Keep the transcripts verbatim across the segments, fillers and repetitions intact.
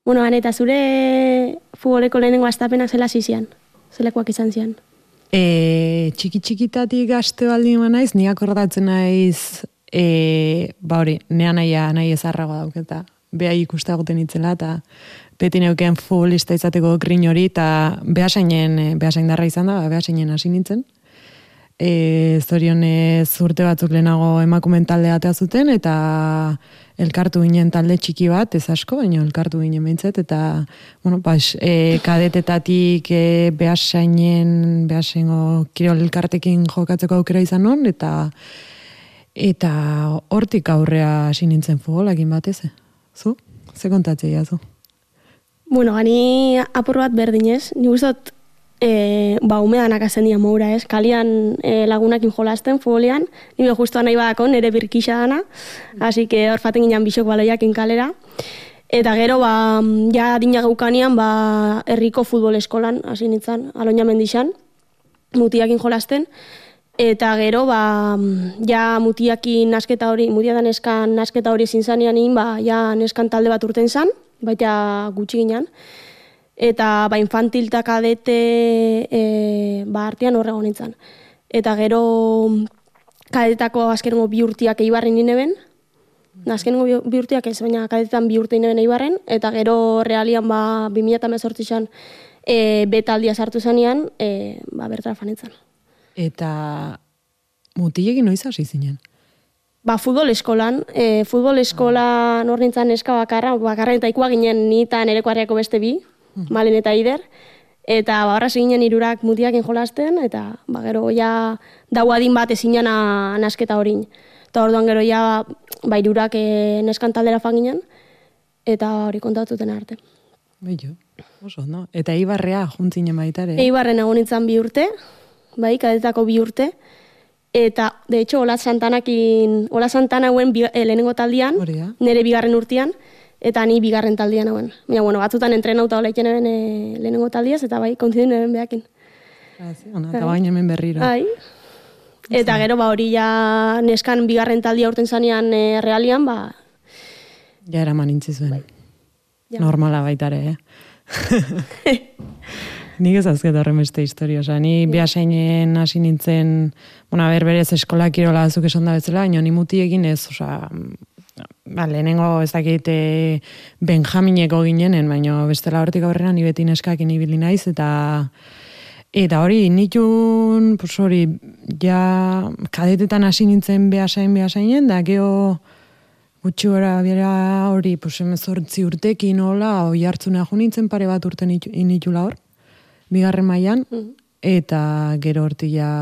Bueno, Ane, eta zure futboleko lehenengo astapenak zela zizian? Zelakoak izan zian? E, txiki txikitatik gazte baldin naiz, ni akordatzen naiz, e, ba hori, nea naia, nahi ezarragoa dauketa. Beha ikustagoten itzela, eta beti neuken futbolista izateko grin hori, eta behasainen, behasain darra izan da, behasainen hasi nintzen. E, zorionez urte batzuk lehenago emakumen taldea atea zuten, eta elkartu ginen talde txiki bat, ez asko, baina elkartu ginen behintzet, eta, bueno, pas, e, kadetetatik e, behasainen, behasaingo kirol elkartekin jokatzeko aukera izan non, eta eta hortik aurrea hasi nintzen futbolakin batez, zu? Ze kontatzea zu? Bueno, gani apur bat berdinez, ni gustot E, ba, umedanak azen dian moura, ez? Kalian e, lagunakin jolasten, futbolean, nire justu nahi badako, nire birkixa dana, hasi que hor faten ginen bisok baloiakin kalera. Eta gero, ba, ja dina gaukanian, ba, herriko futbol eskolan, hasi nintzen, Aloña mendixan, mutiakin jolasten, eta gero, ba, ja mutiakin nasketa hori, mutia da neskan nasketa hori zintzanian, ba, ja neskan talde bat urten zan, baita gutxi ginen, eta ba infantil eta kadete e, ba artean horrego nintzen. Eta gero kadetako azkenengo bi urtiak Eibarren nineben, azkenengo bi urtiak ez, baina kadetetan bi urte nineben Eibarren, eta gero realian ba bi mila hemezortzian e, betaldia sartu zanean, e, ba bertara fanetzen. Eta mutilekin noiz hasi zinen? Ba, futbol eskolan, e, futbol eskolan hor nintzen eska bakarra, bakarra eta ikua ginen ni eta nereko harriako beste bi, Malen eta Ider, eta ba, horra seginen irurak mutiakin jolasten, eta ba, gero ja dauadin bat ezinen nasketa horin. Eta orduan gero ja ba, irurak e, neskan taldera fanginen, eta hori kontatuten arte. Bello, oso, no? Eta Eibarrea juntzinen baitare? Eibarren egon nintzen bi urte, bai, kadetako bi urte, eta, de hecho, Ola Santanakin, Ola Santana hauen bi, e, lehenengo taldian, nire bigarren urtean, eta ni bigarren taldian hauen. Baina, bueno, batzutan entrenauta hola iken eben e, lehenengo taldiaz, eta bai, kontzidun eben behakin. Eta bain hemen berriro. Bai. Eta gero, ba, hori ja neskan bigarren taldia urten zanean e, realian, ba... Ja eraman intzizuen. Bai. Ja. Normala baitare, eh? Nik ez azket horren beste historia. Osa, ni behasainen hasi nintzen, bueno, berberez eskola kirola azuk esan da betzela, baina ni mutiekin ez, osa... Ba, lehenengo ez dakit e, Benjamineko ginenen, baina bestela hortik aurrera ni beti neskakin ibili naiz, eta eta hori nitun, pues hori, ja kadetetan hasi nintzen behasain behasainen, da geho gutxi gora bera hori, pues hemezortzi urtekin hola, oi hartzuna jo nintzen pare bat urte initula hor, bigarren mailan, mm. eta gero hortik ja,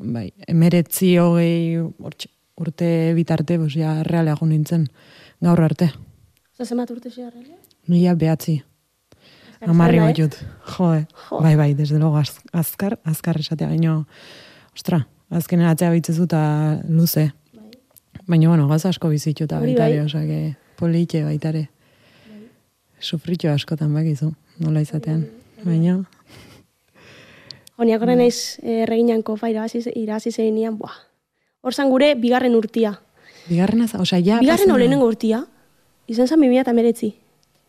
bai, emeretzi hogei, hortxe, urte bitarte, pues, ja, realea jo nintzen, gaur arte. Zazemat urte zia realea? Nila behatzi. Amarri bat jut. Jo, jo, bai, bai, desde logo az, azkar, azkar esatea, baina, ostra, azkenen atzea bitzezu eta luze. Bai. Baina, bueno, gaz asko bizitu eta baitare, bai. Osake, politxe baitare. Bai. Sufritxo askotan bakizu, nola izatean. Bai. Baina... Honiak horren eiz erreginanko fa irazi zein nian, buah. Horzan gure bigarren urtia. Bigarren az, osea, ja... Bigarren olenengo urtia, izan zan bimia eta meretzi.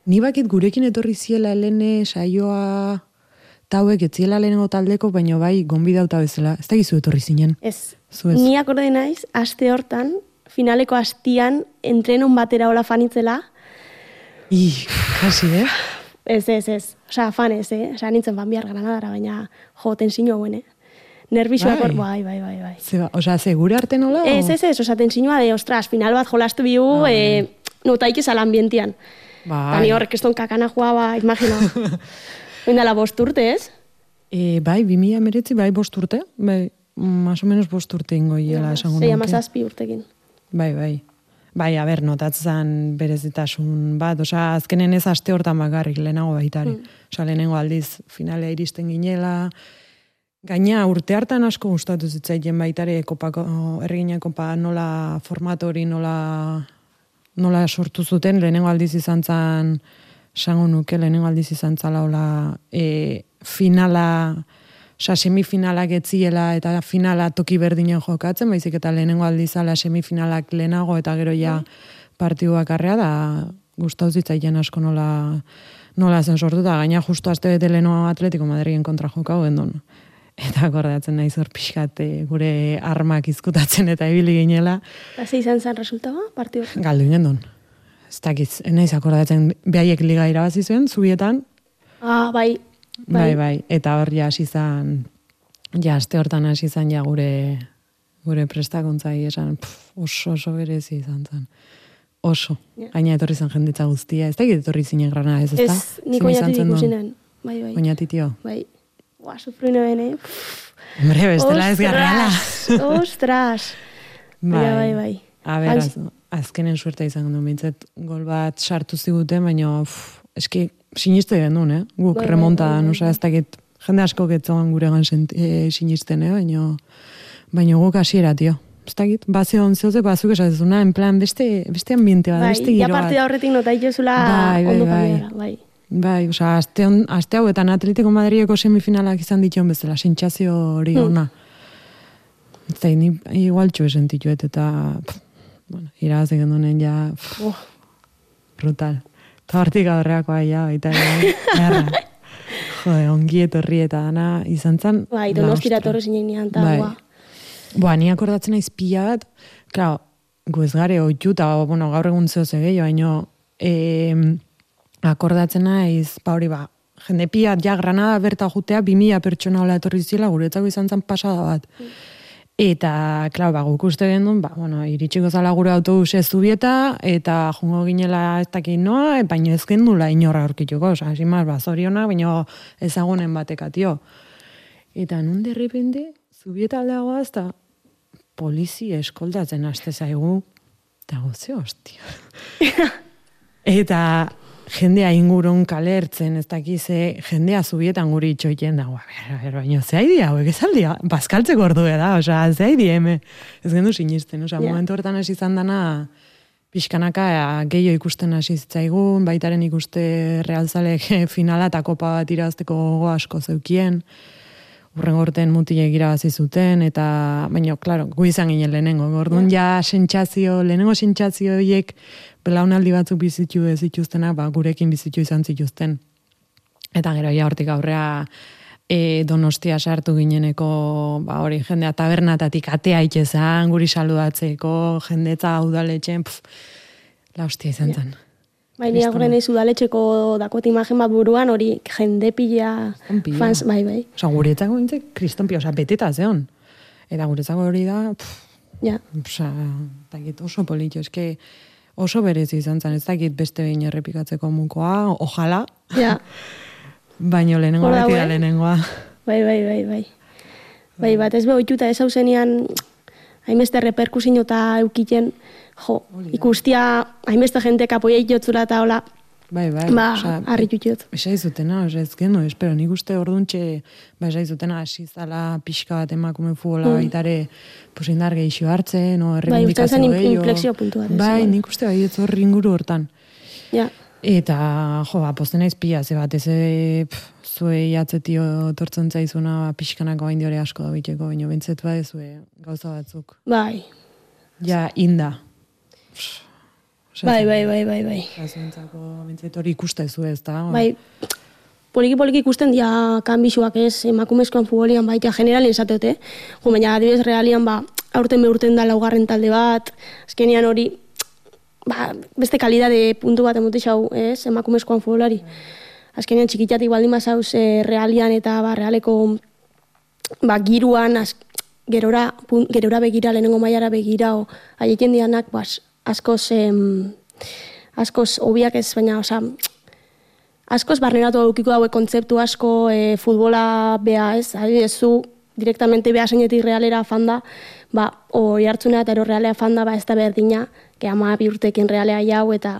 Ni bakit gurekin etorri ziela helene saioa tauek etziela lehenengo taldeko, baina bai gonbidauta bezala. Ez da gizu etorri zinen? Ez. Zuez. Ni akorde naiz, aste hortan, finaleko astian, entrenon batera hola fanitzela. I, kasi, eh? Ez, ez, ez. Osea, fan ez, eh? Osea, nintzen fan bihar Granadara, baina jo, tensiño hauen, eh? Nervixoak hor, bai, bai, bai, bai. Zeba, osea, segure arte nola? Ez, ez, ez, osea, tensiñoa de, ostras, final bat jolastu bihu, ah, eh, notaik ezala ambientian. Bai. Tani horrek eston kakana joa, ba, imagina. Oindala bost urte, ez? E, bai, bi mila meretzi, bai, bost urte. Bai, más o menos bost urte ingo hiela esango nuke. Zei amazazpi urtekin. Bai, bai. Bai, a ber, notatzen berezitasun bat, osea, azkenen ez aste hortan bakarrik, lehenago baitari. Mm. Osea, lehenengo aldiz, finalea iristen ginela. Gaina, urte hartan asko gustatu zitzaien baitare, kopako, erregina kopa nola formatori, nola, nola sortu zuten, lehenengo aldiz izan zan, sango nuke, lehenengo aldiz izan zala, hola, e, finala, oza, semifinalak etziela, eta finala toki berdinen jokatzen, baizik eta lehenengo aldizala semifinalak lehenago, eta gero ja partiduak arrea, da gustau zitzaiken asko nola, nola zen sortuta, gaina justu aste bete leheno Atletico Madrilen kontra jokau gendun. Eta akordatzen nahi zor pixkat gure armak izkutatzen eta ibili ginela. Ze izan zen resultaba, partio? Galdu gendun. Ez dakiz, naiz akordatzen behaiek liga irabazi zuen, zubietan. Ah, bai. Bai, bai. Eta hor ja hasi zan, ja aste hortan hasi zan ja gure, gure prestakuntzai esan, pff, oso, oso berezi izan zen. Oso. Yeah. Gaina etorri zen jenditza guztia. Ez da etorri zinen grana, ez ezta? Ez, nik oinatik ikusinen. Bai, bai. Oinatitio. Bai. Ua, sufruino bene. Hombre, bestela ez garrala. Ostras. Bai, bai, bai. A ber, az, azkenen suerta izan genuen, bintzet gol bat sartu ziguten, baina eski siniste genuen, eh? Guk bai, remonta da, nusa ez dakit, jende asko getzoan gure gan e, sinisten, eh? Baina, baina guk hasiera, tio. Ez dakit, bazio onzioze, bazuk esatezuna, en plan, beste, beste ambiente bat, bai, beste giro bat. Bai, ja partida horretik nota itxezula bai, bai, ondo bai. familiara, bai. Bai, oza, azte, on, azte hauetan Atletico Madrideko semifinalak izan dituen bezala, sentsazio hori ona. Hmm. Ez da, ni igual txue sentituet, eta, pff, bueno, irabazik gendunen ja, pff, oh. Brutal. Eta hortik aurreakoa ja, baita, erra. Jode, ongi etorri eta dana izan zan. Bai, Donostira torre zinen nian, eta, bai. Boa. Boa, ni akordatzen naiz pila bat, klaro, gu ez gare oitu, eta, bueno, gaur egun zeo zegei, baino, eh, akordatzen naiz, ba hori ba, jende pia, ja, Granada berta jutea, bi mila pertsona hola etorri zila, guretzako izan zen pasada bat. Mm. Eta, klar, ba, guk uste gendun, ba, bueno, iritsiko zala gure autobuse zubieta, eta jungo ginela ez dakit noa, baino ez gendula inorra aurkituko, oza, esimaz, ba, zoriona, baino ezagunen batekatio. Eta nun derrepende, zubieta aldeagoa, ez da, polizi eskoldatzen haste zaigu, eta goze, hostia. Eta, jendea ingurun kalertzen, ez dakize, jendea zubietan guri itxoiten dago, baina ze haidi hauek, ez aldi, bazkaltzeko ordu da, oza, ze haidi eme, ez gendu sinisten, oza, yeah. Momentu hortan hasi izan dana, pixkanaka gehiago ikusten hasi zitzaigun, baitaren ikuste realzalek finala eta kopa bat irazteko gogo asko zeukien, urren gorten mutilek irabazi zuten, eta, baina, klaro, gu izan ginen lehenengo, gordun yeah. Ja sentsazio, lehenengo sentsazio horiek, belaunaldi batzuk bizitu ez zituztenak, ba, gurekin bizitu izan zituzten. Eta gero, ja, hortik aurrea e, Donostia sartu gineneko, ba, hori, jendea tabernatatik atea itxezan, guri saludatzeko, jendetza udaletxen, pff, la hostia izan zen. Ja. Bai, ni agoren eiz udaletxeko dakot imagen bat buruan, hori jende pila fans, bai, bai. Osa, guretzako bintzek kristonpia, osa, beteta zeon. Eta guretzako hori da, pff, ja. Osa, takit oso politxo, eske, oso berezi izan zen, ez dakit beste behin errepikatzeko mukoa, ojala. Ja. Baino lehenengoa beti da lehenengoa. Bai, bai, bai, bai. Bai, bat ez behituta ez hau zenian, hainbeste reperkusin eta eukiten, jo, ikustia, hainbeste jentek apoia itotzula eta hola, bai, bai. Ba, harri jutut. Esa izutena, oza, ez geno, espero, nik uste orduntxe, ba, esa izutena, asizala pixka bat emakume futbola mm. baitare, pues indar gehixo hartzen, o errebindikazio gehiago. Bai, ustean zen inflexio puntu bat. Bai, nik uste bai, ez horri inguru hortan. Ja. Eta, jo, ba, posten naiz pila, ze bat, ez zuei atzetio tortzen zaizuna, pixkanako hain diore asko da biteko, baina bentzet bai, zue gauza batzuk. Bai. Ja, inda. Bai, bai, bai, bai, bai. Gazuentzako, bintzait hori ikustezu ez da. Bai, poliki-poliki ikusten dia kanbixuak ez, emakumezkoan futbolian baita generalien esateote. Jo, baina adibidez realian, ba, aurten beurten da laugarren talde bat, azkenian hori, ba, beste kalidade puntu bat emote xau, ez, emakumezkoan futbolari. Azkenian txikitatik baldin bazauz e, realian eta ba, realeko ba, giruan, az, gerora, pun, gerora begira, lehenengo mailara begira, o, haieken dianak, bas, askoz, em, askoz obiak ez, baina, oza, askoz barneratu aukiko daue kontzeptu asko e, futbola bea ez, adibidez zu, direktamente bea zeinetik realera fanda, ba, hori hartzunea eta ero realea fanda, ba, ez da berdina, que ama bi urtekin realea jau, eta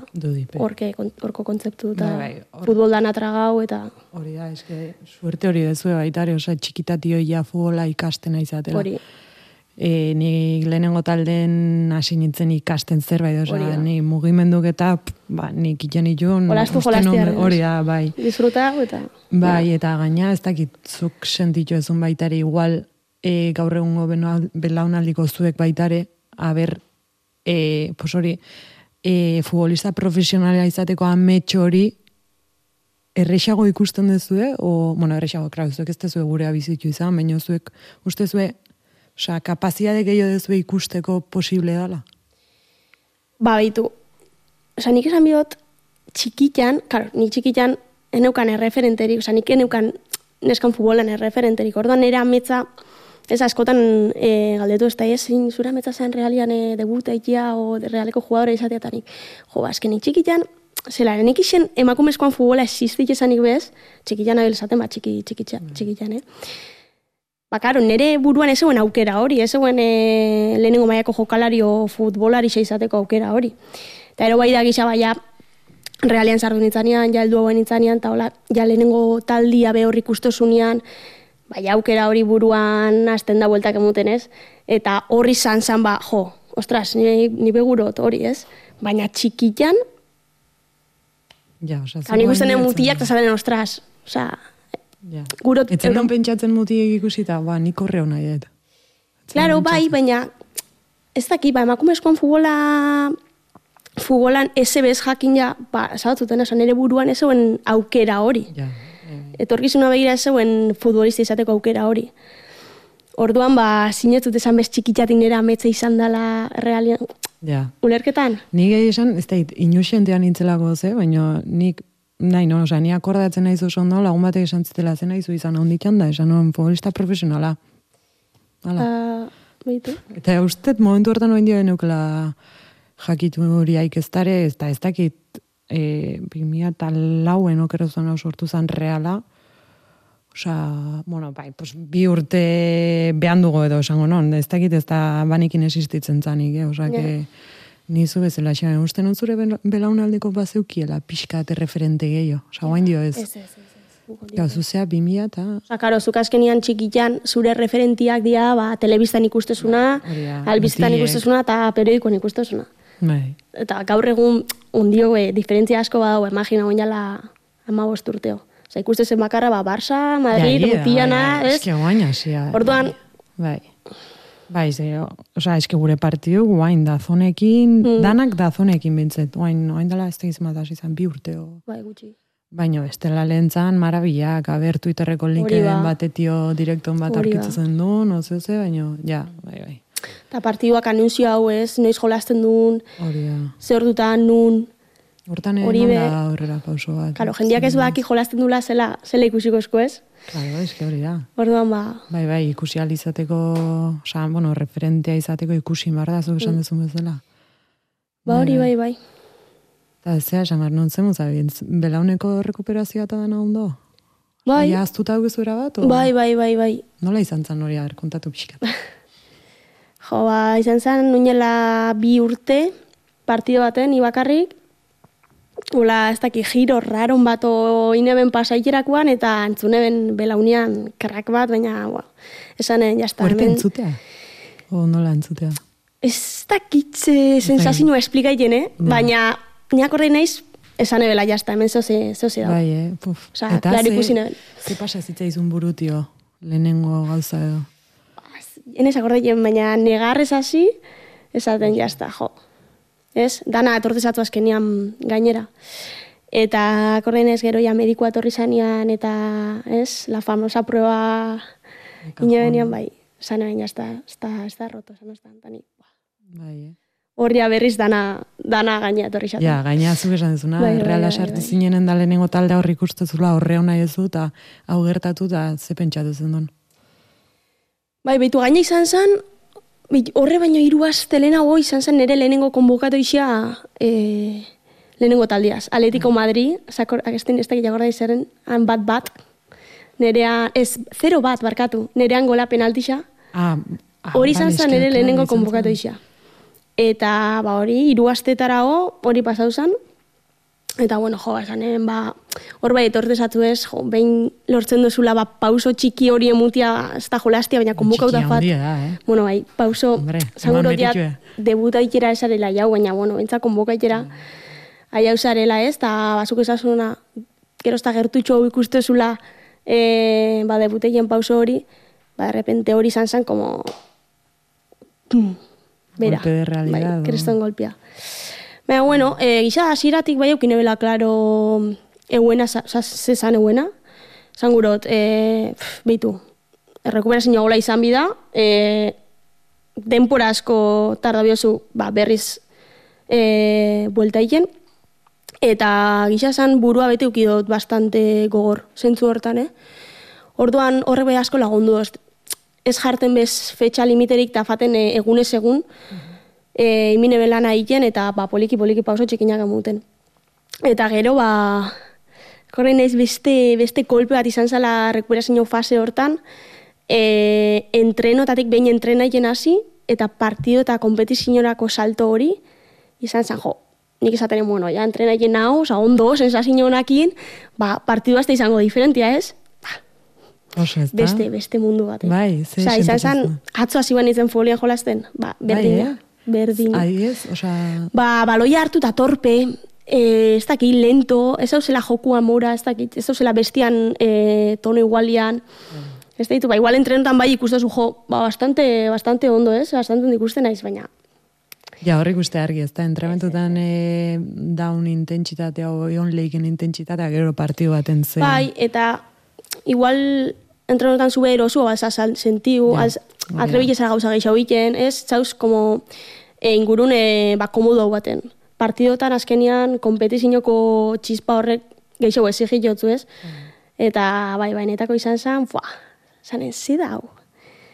horke, horko kontzeptu, eta bai, bai, futbol dana tragau, eta... Hori da, eske, suerte hori dezue baitare, oza, txikitatio ja futbola ikastena izatela. Hori. E, ni lehenengo talden hasi nintzen ikasten zerbait, oza, ni mugimenduk eta, ba, nik iten itun... Olastu jolastiaren. Hori da, bai. Disfruta, eta... Bai, eta gaina, ez dakitzuk sentitu ezun baitare, igual, e, gaur egungo belaunaldiko zuek baitare, aber, e, pues hori, e, futbolista profesionala izateko amets hori errexago ikusten dezue, o, bueno, errexago, klar, zuek ez dezue gurea bizitu izan, baina zuek uste zue, osea, kapazitate gehiago dezue ikusteko posible dala? Ba, baitu, osea, nik esan bihot, txikitan, klar, nik txikitan eneukan erreferenterik, osea, nik eneukan neskan futbolan erreferenterik, orduan nire ametza, ez askotan e, galdetu ez da, ez, zure ametza zen realian e, debuta ikia o realeko jugadore izateatanik. Jo, ba, esken nik txikitan, zela, nik isen emakumezkoan futbola existik esanik bez, txikitan abil esaten, ba, txiki, txikitza, txikitan, eh? Ba, karo, nire buruan ez zeuen aukera hori, ez zeuen e, lehenengo maiako jokalari o futbolari izateko aukera hori. Eta ero bai da gisa baia, realian sartu nintzanean, ja heldu hauen nintzanean, eta hola, ja lehenengo taldia be horrik ustosunean, bai aukera hori buruan hasten da bueltak emuten ez, eta horri zan zan ba, jo, ostras, ni, ni begurot hori ez, baina txikitan, ja, oza, nik usten mutiak, eta zaten, ostras, oza, ja. Gurot... Etzen non pentsatzen mutiek ikusita, ba, nik horreo nahi, et. Claro, bai, baina, ez daki, ba, emakumezkoan futbola, futbolan ese bez jakin ja, ba, zabatzuten esan, ere buruan ez zeuen aukera hori. Ja. Etorkizuna begira ez zeuen futbolista izateko aukera hori. Orduan, ba, sinetut esan bez txikitzatik nera ametza izan dela realian. Ja. Ulerketan? Nik egia esan, ez da, inusentean nintzelako ze, baina nik, nahi, no, oza, ni akordatzen nahi oso ondo, lagun batek esan zitela zen nahi zu izan ahonditan da, esan non futbolista profesionala. Hala. Uh, Beitu. Eta ustet, momentu hortan oen dio eneukela jakitu horiaik ez dare, ez da, ez dakit, E, bimia eta lauen okero zuen hau sortu zen reala. Osa, bueno, bai, pues, bi urte behan dugu edo esango non, ez dakit ez da banikin existitzen zanik, eh? Osa, yeah. que nizu bezala xean, uste non zure belaunaldeko bazeukiela pixka eta referente gehiago. Osa, guain dio ez. Ez, ez, ez. Gau, zuzea, bimia eta... Osa, karo, zuk azkenian txikitan zure referentiak dira, ba, telebistan ikustezuna, albiztan ikustezuna eta periodikoan ikustezuna. Bai. Eta gaur egun undio e, diferentzia asko badau, imagina oin jala amabost urteo. Osa, ikustezen bakarra, ba, Barça, Madrid, ja, Rutiana, bai, ez? Eske guain hasia. Orduan... Bai. Bai, ze, osa, eske gure partidu guain dazonekin, mm. danak dazonekin bintzet. Guain, oain dela ez tegiz mataz izan, bi urteo. Bai, gutxi. Baina, bestela lehentzan, marabilak, aber Twitterreko linkeen batetio direkton bat arkitzen duen, oze, oze, baina, ja, bai, bai. Eta partiduak anunzio hau ez, noiz jolasten duen, zer dutan nun. Hortan egin da horrela pauso bat. Karo, jendiak ez baki jolasten dula zela, zela ikusiko esko ez. Claro, eske hori da. Orduan ba... Bai, bai, ikusi izateko, oza, bueno, referentea izateko ikusi barra, zu esan dezun bezala. Ba hori, bai, bai. Eta ez zea, esan behar, non zemu zabien, belauneko rekuperazioa eta dena ondo? Bai. Ia aztuta guzuera bat? Bai, bai, bai, bai. Nola izan zan hori, kontatu pixkat. Jo, ba, izan zen, nuinela bi urte, partido baten, ibakarrik, ula, ez daki, giro raron bat ineben pasaiterakoan, eta entzuneben belaunian krak bat, baina, bueno, esanen, jazta. Horte entzutea? O nola entzutea? Ez dakitze sensazioa esplikaiten, eh? Baina, niak horrein naiz, esan ebela, jazta, hemen zoze, zoze da. Bai, eh? Puf. Osa, klaro ikusi neben. Ze pasa zitzaizun burutio, lehenengo gauza edo? Enez akordeien, baina negarrez hasi, esaten jazta, jo. Ez? Dana etortezatu azkenian gainera. Eta akordeen ez gero ja medikoa etorri zanean, eta ez, la famosa prueba inebenian, bai, zanean jazta, ez da, ez da roto, zan ez da, tani. Bai, eh? Horria berriz dana, dana gaina etorri zaten. Ja, gaina zuk esan dezuna, bai, erreala sartu bai, bai. Zinenen da lehenengo talde horri ikustezula horre hona ezu, eta hau gertatu, eta ze pentsatu zen duen. Bai, behitu gaina izan zen, horre baino hiru aste lehenago izan zen nire lehenengo konbokatu isa e, lehenengo taldiaz. Atletico Madrid, agesten ez dakit jagorda izaren, han bat bat, nerea, ez, zero bat barkatu, nerean gola penaltixa. Ah, hori izan zen nire lehenengo konbokatu isa. Eta, ba, hori, hiru astetarago, hori pasau zen. Eta, bueno, jo, esanen, ba, hor bai etortezatu ez, jo, behin lortzen duzula, ba, pauso txiki hori emutia, ez da jolastia, baina konbokauta fat. Txiki handia da, eh? Bueno, bai, pauso, zanguro diat, debuta ikera esarela jau, baina, bueno, bentsa konboka ikera, aia usarela ez, eta bazuk esasuna, gero ez da gertutxo ikustezula, e, ba, debuteien pauso hori, ba, de repente hori izan zen, como, bera, golpe de realidad, bai, kreston golpea. Baina, bueno, e, gisa asiratik bai eukin ebela, klaro, euena, zezan euena. Zan gurot, e, behitu, errekuperazio gola izan bida, e, denpora asko tarda biozu ba, berriz e, buelta egin, eta gisa esan burua bete ukidot bastante gogor, zentzu hortan, eh? Orduan horrek bai asko lagundu, ez jarten bez fetxa limiterik eta faten e, egunez egun, e, imine belana egin eta ba, poliki-poliki pauso txikinak amuten. Eta gero, ba, korrein ez beste, beste kolpe bat izan zala rekuperazio fase hortan, e, entrenotatik behin entrena egin hasi, eta partido eta kompetizioarako salto hori, izan zen, jo, nik esaten, bueno, ja, entrena egin hau, oza, ondo, sensazio honakin, ba, partidu azte izango diferentia, ez? Ba, Oso, ez da? Beste, beste mundu bat. Bai, ze Oza, izan zen, atzo hasi ban izen folian jolazten, ba, berdina, bai, eh? berdina. Ai, ez, oza... Ba, baloia hartu eta torpe, eh, ez dakit, lento, ez dauzela jokua mora, ez dakit, ez dauzela bestian eh, tono igualian, mm. Ez ditu, ba, igual entrenotan bai ikustezu jo, ba, bastante, bastante ondo, ez? Bastante ondo ikusten naiz, baina. Ja, horrik uste argi, ez da, entrementutan e, daun intentsitatea, on leiken intentsitatea, gero partidu baten zen. Bai, eta igual entrenotan zube erosu, ba, zazal sentiu, ja, atrebile zara gauza gehiago egiten, ez? Txauz, como, e, ingurun, e, ba, komodo baten. Partidotan azkenian, kompetizioko txispa horrek gehiago ezigit jotzu, ez? Mm. Eta, bai, bainetako izan zen, fuah, zanen zidau.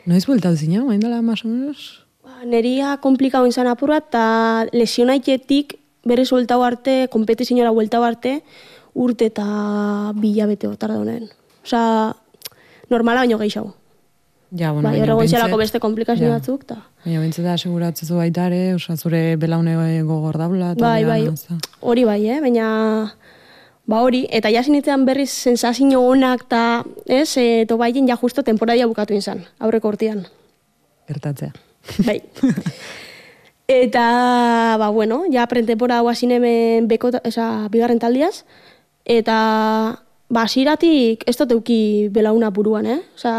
Noiz bueltau zina, bain dela, más o menos? Ba, neria komplikau izan apurra, eta lesionaiketik berriz bueltau arte, kompetiziora bueltau arte, urte eta bilabete otar daunen. Osa, normala baino gehiago. Ja, bueno, bai, horregon zelako beste komplikazio ja. Batzuk, ta. Baina bintzeta aseguratzezu baitare, osa, zure belaune gogor daula. Bai, bai, hori bai, eh? Baina... Ba hori, eta jasinitzean berriz sensazio honak eta, ez, e, to baien ja justo temporadia bukatu izan, aurreko urtean. Gertatzea. Bai. Eta, ba, bueno, ja prentempora hau hasin hemen beko, esa, bigarren taldiaz, eta, ba, asiratik ez dut euki belauna buruan, eh? Osa,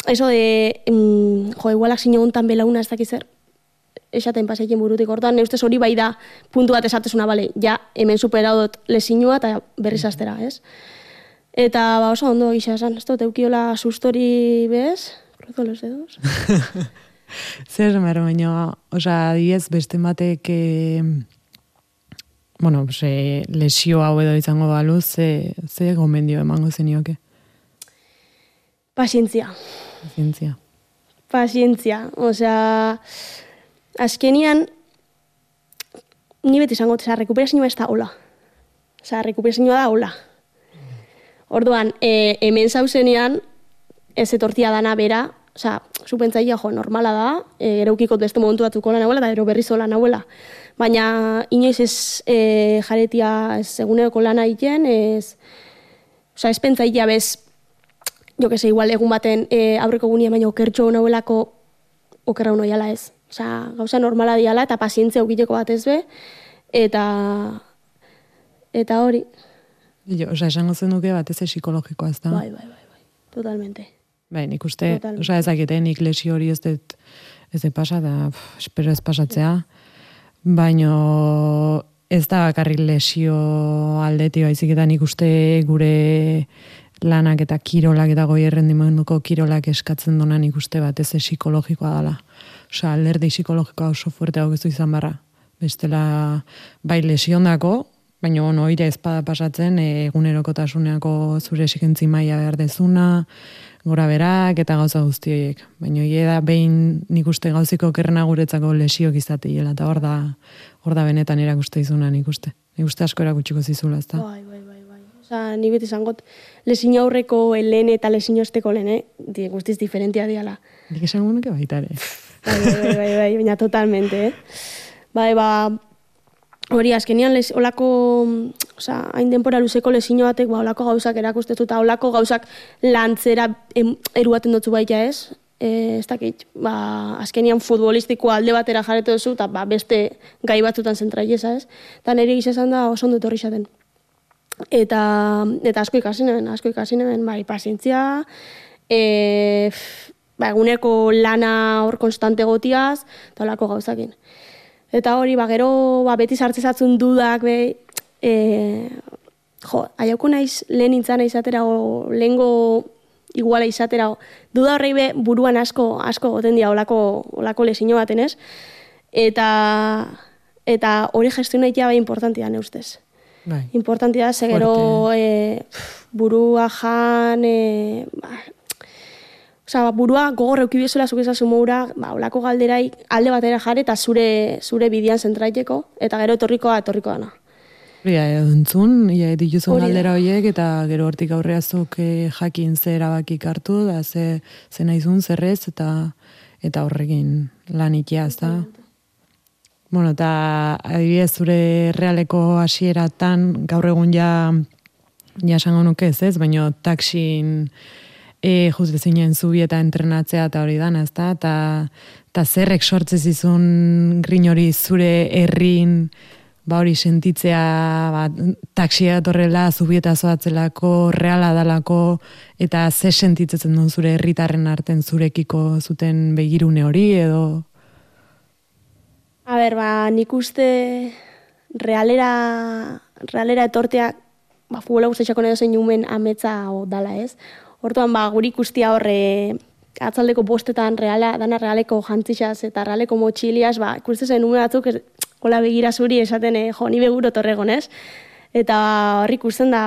eso de, mm, jo, igualak zine hontan belauna ez dakizer, esaten pasaiken burutik hortan, neustez hori bai da puntu bat esatezuna, bale, ja, hemen superaudot lesinua eta berriz astera, ez? Eta, ba, oso ondo gisa esan, ez dut, eukiola sustori bez, cruzo los dedos. Zer, mero, baina, oza, diez, beste batek, e, bueno, se, lesio hau edo izango balu, ze, ze gomendio emango zenioke? Pazientzia. Pazientzia. Pazientzia, osea... Azkenian, ni beti izango, oza, rekuperazioa ez da hola. Oza, rekuperazioa da hola. Orduan, e, hemen zauzenean, ez etortia dana bera, oza, zupentzaia, jo, normala da, e, eraukikot beste momentu batzuko lan hauela, da ero berriz lan hauela. Baina, inoiz ez e, jaretia ez eguneko lana egiten, ez, oza, ez pentsaia bez, jo que se, igual egun baten e, aurreko gunia baino okertxo hauelako okerra uno jala ez. Osa, gauza normala diala eta pazientzia ukiteko bat ez be, eta eta hori. Jo, osa, esango zen duke bat ez psikologikoa ez da? Bai, bai, bai, bai, totalmente. Bai, nik uste, osa, ezakete, nik lesio hori ez dut, ez dut pasa, da, pff, espero ez pasatzea, baino ez da bakarrik lesio aldeti baizik eta nik uste gure lanak eta kirolak eta goi errendimenduko kirolak eskatzen dona nik uste bat ez psikologikoa dela. Osa, alderdi psikologikoa oso fuerte hau gezu izan barra. Bestela, bai lesiondako, baina ono, oire ezpada pasatzen, egunerokotasuneako zure esikentzi maila behar dezuna, gora berak eta gauza guztioiek. Baina hile da behin nik uste gauziko kerrena guretzako lesiok izateiela, eta hor da, hor da benetan erakuste izuna nik uste. Nik uste asko erakutsiko zizula, ez da? Bai, bai, bai, bai. Osa, ni beti zangot, lesin aurreko lehen eta lesin osteko lehen, eh? Guztiz diferentia diala. Nik esan gunuke baitare. Bai, bai, bai, bai, baina totalmente, eh? Bai, ba, hori, azkenian, les, olako, oza, hain denpora luzeko lesino batek, ba, olako gauzak erakustetu, eta olako gauzak lantzera em, eruaten dutzu baita ez, e, ez dakit, ba, azkenian futbolistiko alde batera jarretu duzu, eta ba, beste gai batzutan zentraieza ez, eta nire gizazan da oso ondo etorri zaten. Eta, eta asko ikasinen, asko ikasinen, bai, pazientzia, e, ba, eguneko lana hor konstante gotiaz, eta olako gauzakin. Eta hori, ba, gero, ba, beti sartzezatzen dudak, be, e, jo, aiauko naiz lehen nintzana izatera, o lehengo iguala izatera, o, duda horrei be, buruan asko, asko goten dira olako, olako lesino baten ez, eta, eta hori gestionaitea bai importantia ne ustez. Bai. Importantia, ze gero e, burua jan, e, ba, Osa, burua gogor eukibiezuela zuk ezazu moura, ba, olako galderai alde batera jare eta zure zure bidean zentraiteko, eta gero etorrikoa etorriko dana. Ja, entzun, ja, dituzun galdera horiek, eta gero hortik aurreazuk eh, jakin ze erabakik hartu, da ze, ze naizun, zerrez, eta eta horrekin lan ikia, ez da? Bueno, eta adibidez zure realeko hasieratan gaur egun ja, ja esango nuke ez ez, baina taksin E, just bezinen zubi eta entrenatzea eta hori dana, ez da? Ta, ta zerrek sortzez izun grin hori zure herrin, ba hori sentitzea, ba, taksia torrela, zubi eta zoatzelako, reala dalako, eta ze sentitzen duen zure herritarren arten zurekiko zuten begirune hori, edo? A ber, ba, nik uste realera, realera etortea, ba, futbola guztetxako edo zein jumen ametza o dala, ez? Hortuan, ba, guri ikustia horre atzaldeko bostetan reala, dana realeko jantzixaz eta realeko motxiliaz, ba, ikustezen ume batzuk, hola begira zuri esaten, eh, jo, ni beguro torregon, ez? Eta horri ikusten da,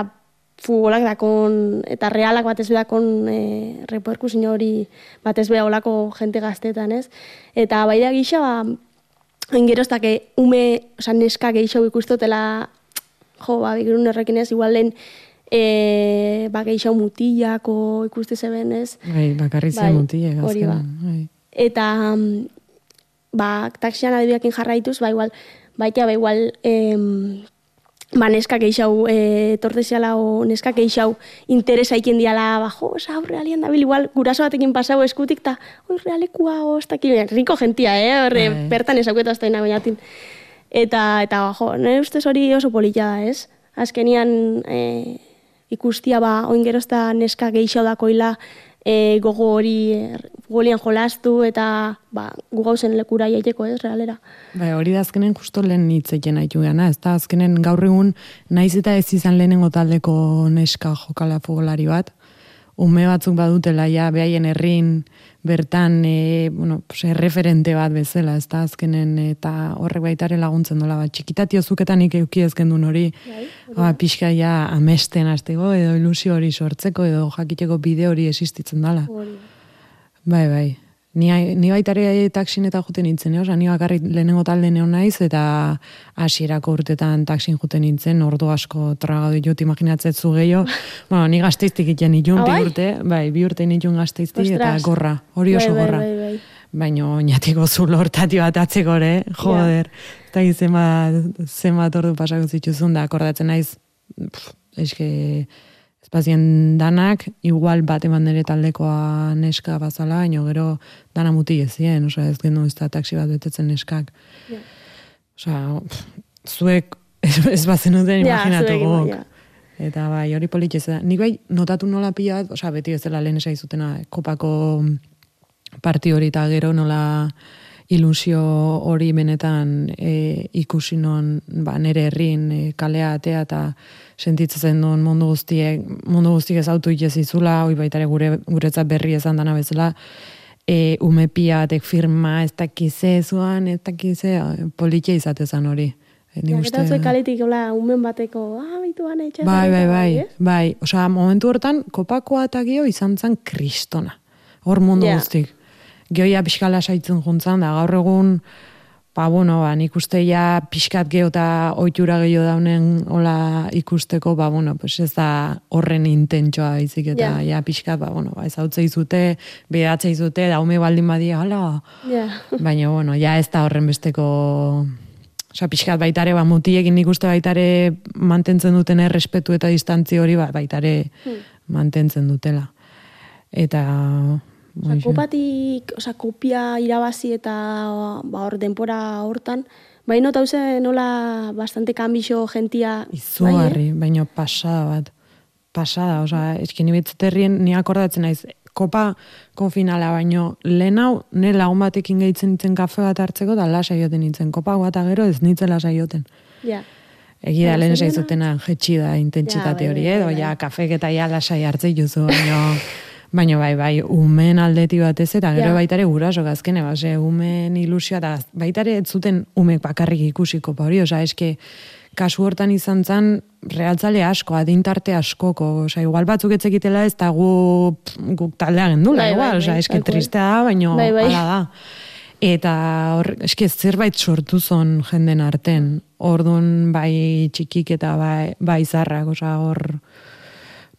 futbolak dakon, eta realak batez bedakon eh, reperkusin hori batez beda olako jente gaztetan, ez? Eta bai da gisa, ba, engeroztak ume, oza, neska geixo ikustotela, jo, ba, begirun errekin ez, igual lehen, E, ba, geixau mutillako ikuste zeben, ez? Bai, bakarritzen bai, mutillak. Hori ba. Bai. Eta, ba, taksian adibiakin jarraituz, ba, igual, baita, ba, igual, em, ba, neska geixau, e, torteziala o neska geixau interesa iken diala, ba, jo, oza, realien dabil, igual, guraso batekin pasau eskutik, ta, oi, realekua, oztaki, riko gentia, eh? Horre, bai. Bertan esakueta azta inagoinatin. Eta, eta, ba, jo, nire ustez hori oso polita da, ez? Azkenian, e, ikustia ba, oingerozta neska geixo dakoila e, gogo hori e, golian jolastu eta ba, gu gauzen lekura jaiteko ez, realera. Bai, hori da azkenen justo lehen hitzeken haitu gana, ez da azkenen gaur egun naiz eta ez izan lehenengo taldeko neska jokala futbolari bat, ume batzuk badutela ja behaien herrin bertan e, bueno, pues, referente bat bezala, ez da azkenen eta horrek baitare laguntzen dola bat. Txikitatio zuketan nik euki ezken duen hori, ba, pixka ja amesten hasteko edo ilusio hori sortzeko edo jakiteko bide hori existitzen dela. Bai, bai. Ni, ni baitare taksin eta juten nintzen, oza, ni bakarrik lehenengo talde neon naiz, eta hasierako urtetan taksin juten nintzen, ordu asko tragadu ditut imaginatzetzu gehiago. Bueno, ni gazteiztik iten nitun, bi urte, bai, bi urte nitun gazteiztik, eta gorra, hori oso gorra. Bai, bai, bai. Baina oinatiko zulo hortati bat atzeko, ere, joder, eta yeah. zema, zema tordu pasako zituzun, da akordatzen naiz, pff, eske, espazien danak, igual bat eman nire taldekoa neska bazala, baina gero dana muti ezien, oza, ez gendu ez da taksi bat betetzen neskak. Yeah. Oza, zuek ez bazen duten imaginatu yeah, gok. Yeah. Eta bai, hori politxez da. Nik bai, notatu nola pila bat, oza, beti ez dela lehen esaizutena, kopako parti hori eta gero nola ilusio hori benetan e, ikusi non ba, nire herrin e, kalea atea eta sentitzen duen mundu guztiek, mundu guztiek ez autu itez izula, hoi baitare gure, guretzat berri ezan dana bezala, e, ume pia batek firma, ez dakize zuan, ez dakize, politia izatezan hori. E, ja, eta zuek kaletik hola, umen bateko, ah, bitu gane, etxera. Bai, bai, bai, bai, bai. Osa, momentu hortan, kopakoa eta gio izan zen kristona. Hor mundu yeah. guztik. Gioia pixkala saitzen juntzan, da gaur egun, ba, bueno, ba, nik uste ja pixkat geho eta oitura gehiago daunen hola ikusteko, ba, bueno, pues ez da horren intentsoa izik, eta yeah. ja pixkat, ba, bueno, ba, ez hau zeizute, behatzei zute, daume baldin badia, hala, yeah. baina, bueno, ja ez da horren besteko, oza, pixkat baitare, ba, mutiekin nik uste baitare mantentzen duten errespetu eta distantzi hori, ba, baitare hmm. mantentzen dutela. Eta... Osa, kopatik, osa, kopia irabazi eta ba, hor denpora hortan, bai nota hauze nola bastante kanbixo gentia... Izugarri, bai, eh? Baina pasada bat. Pasada, osa, eskin ibetzeterrien ni akordatzen naiz, kopa konfinala baino, lehen hau, ne lagun batekin gehitzen nintzen kafe bat hartzeko, da lasai joten nintzen. Kopa bat gero ez nintzen lasai joten. Ja. Egi da, lehen zaizutena jetxi da intentsitate hori, edo, ja, kafek eta ja lasai hartzei juzu, baino, baino bai, bai, umen aldeti batez, eta gero baitare guraso gazkene, base, umen ilusioa, eta baitare ez zuten umek bakarrik ikusiko, pa hori, oza, eske, kasu hortan izan zen, realtzale asko, adintarte askoko, oza, igual batzuk etzekitela ez, eta gu, guk taldea gendula, bai, igual, bai, oza, eske tristea da, baino, bai, bai. Ala da. Eta, hor, eske, zerbait sortu zon jenden arten, orduan bai txikik eta bai, bai zarrak, oza, hor,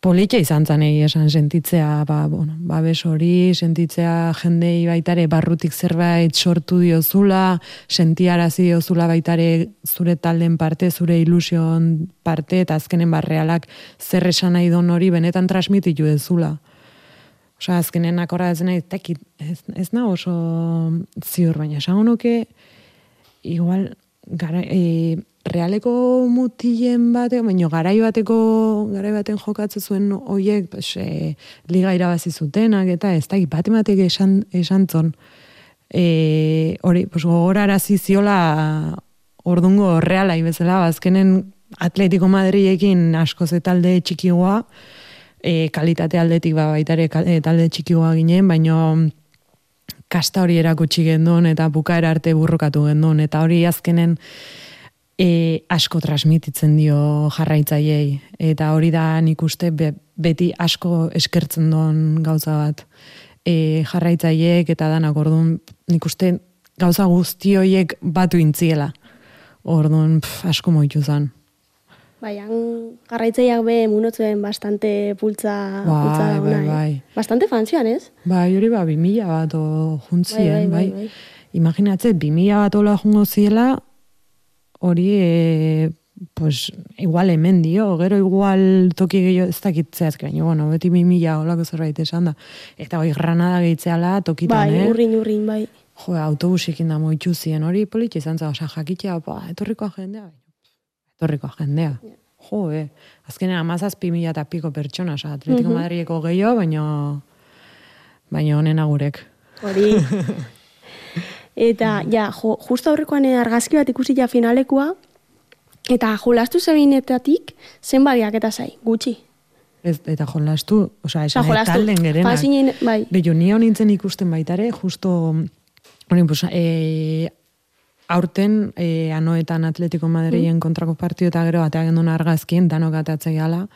politxa izan zan egi esan sentitzea, ba, bueno, babes hori, sentitzea jendei baitare barrutik zerbait sortu diozula, sentiarazi diozula baitare zure talden parte, zure ilusion parte, eta azkenen barrealak zer esan nahi don hori benetan transmititu dezula. Osa, azkenen akorra ez nahi, tekit, ez, ez na oso ziur, baina esango nuke, igual, gara, e, realeko mutilen bate, baina garai bateko, garai baten jokatze zuen hoiek, pues, e, liga irabazi zutenak, eta ez da, bat ematek esan, esan zon, e, hori, pues, gogorarazi ziola ordungo reala ibezela, azkenen Atletico Madridekin askoz talde txikigoa, e, kalitate aldetik ba, baitare talde txikigoa ginen, baina kasta hori erakutsi gendun, eta bukaera arte burrokatu gendun, eta hori azkenen e, asko transmititzen dio jarraitzaiei, eta hori da nik uste be, beti asko eskertzen duen gauza bat e, jarraitzaileek, eta danak orduan nik uste gauza guzti horiek batu intziela, orduan pf, asko moitu zan. Bai, jarraitzaileak be munotzuen bastante pultza, bai, pultza da bai, bai. Eh? Bastante fanzian, ez? Bai, hori ba, bimila bat o juntzien, bai. bai, bai, bai. Imaginatze, bimila bat ola jungo ziela, hori, e, pues, igual hemen dio, gero igual toki gehiago ez dakitzeaz, baina, bueno, beti bimila olako zerbait esan da. Eta hori granada gehitzeala tokitan, bai, eh? Bai, urrin, urrin, bai. Jo, autobusikin da moitxu zien, hori politxe izan za, oza, jakitea, ba, etorrikoa jendea, etorrikoa jendea. Yeah. Jo, eh. Azkenean amazazpi mila eta piko pertsona, oza, Atletico uh-huh. Madrideko gehiago, baina baina honen agurek. Hori. Eta, ja, jo, justo aurrekoan argazki bat ikusi ja finalekoa, eta jolastu zebinetatik zenbadiak eta zai, gutxi. Ez, eta jolastu, oza, esan ja, talden gerenak. Fasinen, bai. Beio, ni honintzen ikusten baitare, justo, hori, pues, e, aurten, e, anoetan Atletico Madrilen mm. kontrako partio eta gero bateak gendun argazkien, danok atatzei gala.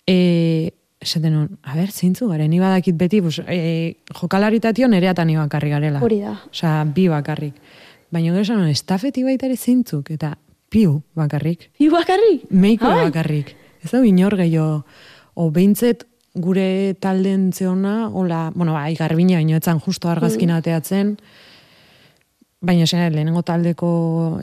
E, esaten hon, a ber, zintzu garen, ni badakit beti, pues, e, jokalaritatio nereatan ni bakarrik garela. Hori da. Osa, bi bakarrik. Baina gero esan hon, estafeti baitare zintzuk, eta piu bakarrik. Piu bakarrik? Meiko bakarrik. Ez da binor gehiago, o behintzet gure talden zeona, hola, bueno, bai, garbina, baino etzan justo argazkin ateatzen, baina zen, lehenengo taldeko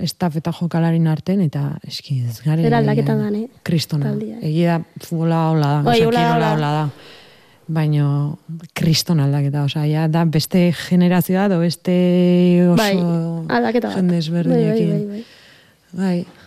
estaf eta jokalarin arten, eta eski ez gare... Zera aldaketan dan, eh? Kristona. Egia futbola hola da, oza, kirola hola da. Baina kristona aldaketa, oza, ja, da beste generazioa, do beste oso bai, aldaketa bat. jende ezberdinekin. Bai, bai, bai, bai. Bai.